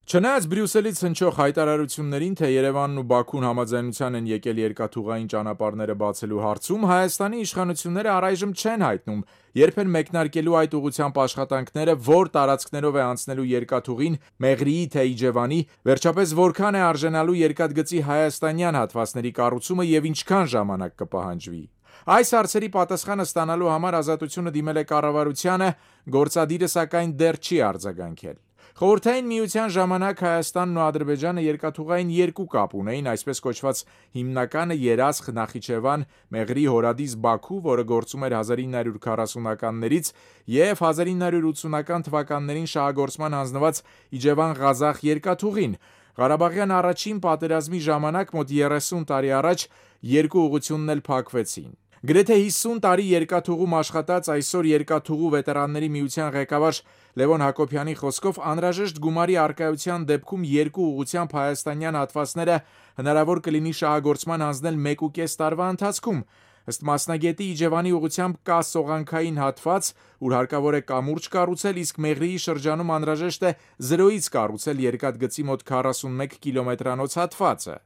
Չնայած Բրյուսելից հնչող հայտարարություններին, թե Երևանն ու Բաքուն համաձայնության են եկել երկաթուղային ճանապարհները բացելու հարցում, Հայաստանի իշխանությունները առայժմ չեն հայտնում, երբ են մեկնարկելու այդ ուղղությամբ աշխատանքները, որ տարածքներով է անցնելու երկաթուղին, Մեղրիի թե Իջևանի, վերջապես որքան է արժենալու երկաթգծի հայաստանյան հատվածների կառուցումը և ինչքան ժամանակ կպահանջվի։ Այս հարցերի պատասխանը ստանալու համար Ազատությունը դիմել է կառավարությանը, գործադիրը սակայն դեռ չի արձագանքել։ Խորհրդային միության ժամանակ Հայաստանն ու Ադրբեջանը երկաթուղային երկու կապ ունեին, այսպես կոչված հիմնականը Երասխ, Նախիջևան, Մեղրի, Հորադիս, Բաքու, որը գործում էր 1940-ականներից և 1980-ական թվականներին շահագործման հանձնված Իջևան-Ղազախ երկաթուղին։ Ղարաբաղյան առաջին պատերազմի ժամանակ մոտ 30 տարի առաջ երկու ուղղությունն էլ փակվեցին։ Գրեթե 50 տարի երկաթուղում աշխատած այսօր Երկաթուղու վետերանների միության ղեկավար Լևոն Հակոբյանի խոսքով անհրաժեշտ գումարի առկայության դեպքում երկու ուղղությամբ հայաստանյան հատվածները հնարավոր կլինի շահագործման հանձնել 1.5 տարվա ընթացքում։ Ըստ մասնագետի Իջևանի ուղղությամբ կա սողանքային հատված, ուր հարկավոր է կամուրջ կառուցել, իսկ Մեղրիի շրջանում անհրաժեշտ է զրոյից կառուցել երկաթգծի մոտ 41 կիլոմետրանոց հատվածը։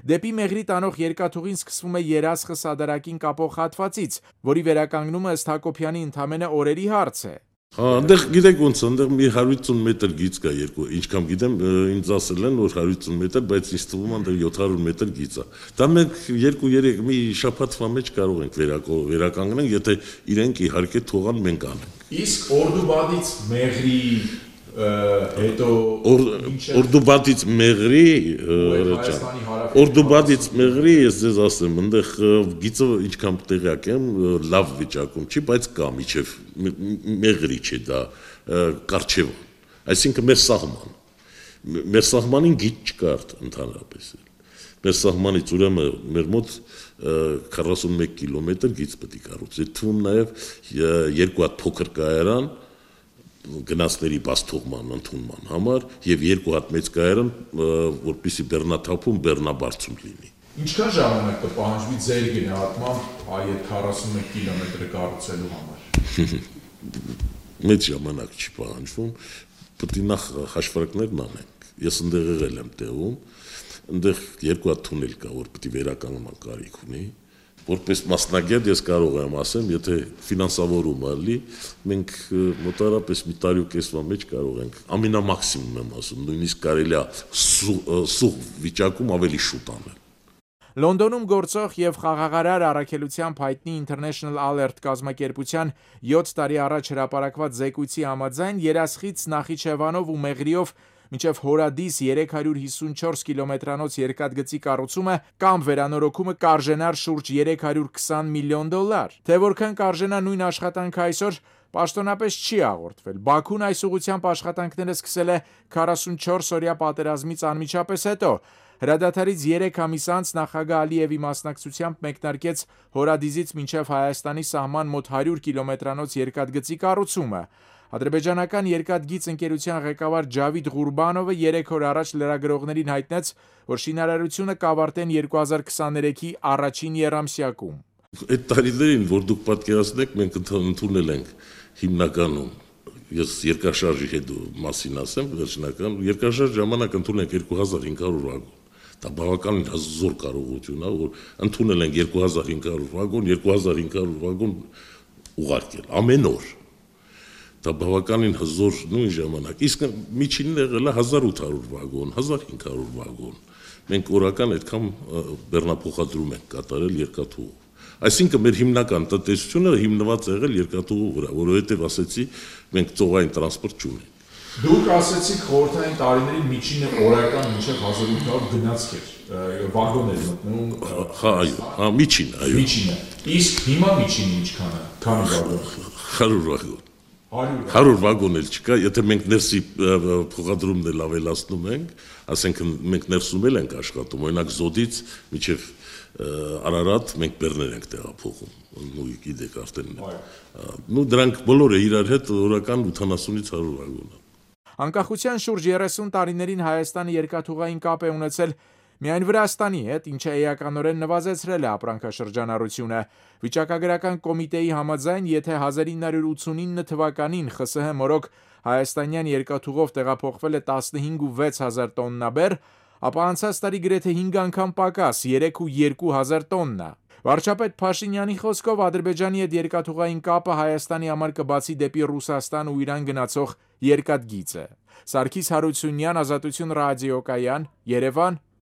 Դեպի Մեղրի տանող երկաթուղին սկսվում է Երասխը Սադարակին կապող հատվածից, որի վերականգնումը ըստ Հակոբյանի ընդամենը օրերի հարց է։ Այնտեղ գիտեք ոնց է, այնտեղ մի 150 մետր գիծ կա երկու, ինչքան գիտեմ, ինձ ասել են, որ 150 մետր, բայց ինձ թվում է այնտեղ 700 մետր գիծ է։ Դա մենք 2-3 մի շաբաթվա մեջ կարող ենք վերականգնել, եթե իրենք իհարկե թողան մենք անենք։ Իսկ Օրդուբադից Մեղրի հետո Օրդուբադից Մեղրի, Օրդուբադից Մեղրի, ես ձեզ ասեմ, այնտեղ գիծը ինչքան տեղյակ եմ, լավ վիճակում չի, բայց կա միջև Մեղրի չէ դա Կարչևան, այսինքն մեր սահմանին գիծ չկար ընդհանրապես։ Մեր սահմանից ուրեմն մեր մոտ 41 կիլոմետր գիծ պետք է կառուցի, թվում նաև երկու հատ փոքր կայարան գնացների բաստողման ընդունման համար եւ երկու հատ մեծ կայարան, որպեսզի բեռնաթափում բեռնաբարձում լինի։ Ինչքան ժամանակ կպահանջվի ձեր գնահատմամբ այդ 41 կիլոմետրը կառուցելու համար։ Մեծ ժամանակ չի պահանջվում, պետք է նախ հաշվարկներն անենք։ Ես այնտեղ եղել եմ տեղում, այնտեղ երկու հատ թունել կա, որ պետք է վերականգնման կարիք ունի։ Որպես մասնագետ ես կարող եմ ասեմ, եթե ֆինանսավորումը լի, մենք մոտարապես մի տարի ու կեսվա մեջ կարող ենք, ամենամաքսիմում եմ ասում, նույնիսկ կարելի է սուղ վիճակում ավելի շուտ անել։ Լոնդոնում գործող և խաղաղարար առաքելությամբ հայտնի International Alert կազմակերպության 7 տարի առաջ հրապարակված զեկույցի համաձայն Երասխից Նախիջևանով ու Մեղրիով մինչև Հորադիս 354 կիլոմետրանոց երկաթգծի կառուցումը կամ վերանորոգումը կարժենար շուրջ $320 միլիոն։ Թե որքան կարժենա նույն աշխատանքը այսօր պաշտոնապես չի հաղորդվել։ Բաքուն այս ուղղությամբ աշխատանքները սկսել է 44-օրյա պատերազմից անմիջապես հետո։ Հրադադարից 3 ամիս անց նախագահ Ալիևի մասնակցությամբ մեկնարկեց Հորադիզից մինչև Հայաստանի սահման մոտ 100 կիլոմետրանոց երկաթգծի կառուցումը։ Ադրբեջանական երկաթգիծ ընկերության ղեկավար Ջավիդ Ղուրբանովը 3 օր առաջ լրագրողներին հայտնեց, որ շինարարությունը կավարտեն 2023-ի առաջին եռամսյակում։ Այդ տարիներին, որ դուք պատկերացնեք, մենք ընդունել ենք հիմնականում, ես երկրաշարժի հետ մասին ասեմ, վերջնական երկրաշարժ ժամանակ ընդունել ենք 2500 վագոն։ Դա բավականին հզոր կարողություն է, որ ընդունել ենք 2500 վագոն, 2500 վագոն ուղարկել ամեն օր։ Դա բավականին հզոր նույն ժամանակ, իսկ միջինն եղել է 1800 վագոն, 1500 վագոն, մենք օրական այդքան բեռնափոխադրում ենք կատարել երկաթուղու, այսինքն մեր հիմնական տնտեսությունը հիմնված է եղել երկաթուղու վրա, որովհետև ասեցի մենք ծովային տրանսպորտ չունենք։ Դուք ասեցիք խորհրդային տարիների միջինը օրական մինչև 1800 գնացք էր, վագոն էր մտնում։ Այո, միջինը, այո։ Միջինը, իսկ հիմա միջինը ինչքան է, քանի վագոն։ 100 վագոն։ 100 վագոն էլ չկա, եթե մենք ներսի փոխադրումն էլ ավելացնում ենք, ասենք մենք ներսում էլ ենք աշխատում, օրինակ Զոդից մինչև Արարատ մենք բեռներ ենք տեղափոխում, ու գիտեք արդեն։ Նու դրանք բոլորը իրար հետ օրական 80-ից 100 վագոն։ Անկախության շուրջ 30 տարիներին Հայաստանը երկաթուղային կապ է ունեցել միայն Վրաստանի հետ, ինչը էականորեն նվազեցրել է ապրանքաշրջանառությունը։ Վիճակագրական կոմիտեի համաձայն, եթե 1989 թվականին ԽՍՀՄ մորոք հայաստանյան երկաթուղով տեղափոխվել է 15,6 տոննաբեռ, ապա անցած տարի գրեթե 5 անգամ պակաս 3,2 տոննա։ Վարչապետ Փաշինյանի խոսքով Ադրբեջանի հետ երկաթուղային կապը Հայաստանի համար կբացի դեպի Ռուսաստան ու Իրան գնացող երկաթգիծը։ Սարգիս Հարությունյան, Ազատություն ռադիոկայան, Երևան,